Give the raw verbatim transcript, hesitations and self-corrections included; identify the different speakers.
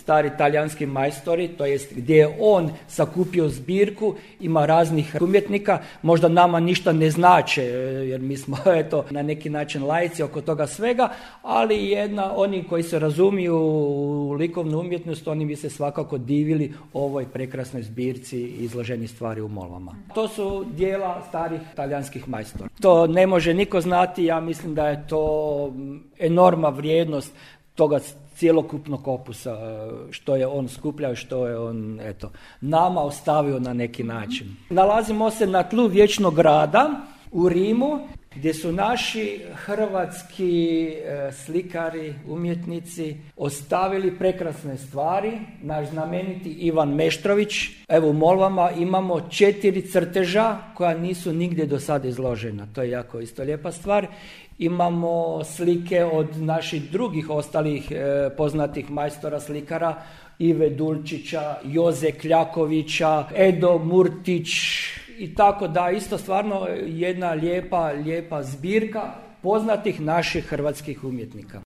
Speaker 1: stari talijanski majstori, to jest gdje je on sakupio zbirku, ima raznih umjetnika, možda nama ništa ne znače, jer mi smo eto na neki način laici oko toga svega, ali jedna, oni koji se razumiju u likovnu umjetnost, oni bi se svakako divili ovoj prekrasnoj zbirci izloženih stvari u Molvama. To su dijela starih talijanskih majstora. To ne može niko znati, ja mislim da je to enormna vrijednost toga cjelokupnog opusa, što je on skupljao, što je on, eto, nama ostavio na neki način. Nalazimo se na tlu Vječnog grada u Rimu, gdje su naši hrvatski e, slikari, umjetnici ostavili prekrasne stvari. Naš znameniti Ivan Meštrović. Evo u Molvama imamo četiri crteža koja nisu nigdje do sada izložena. To je jako isto lijepa stvar. Imamo slike od naših drugih ostalih e, poznatih majstora slikara, Ive Dulčića, Joze Kljakovića, Edo Murtić i tako da, isto stvarno jedna lijepa, lijepa zbirka poznatih naših hrvatskih umjetnika.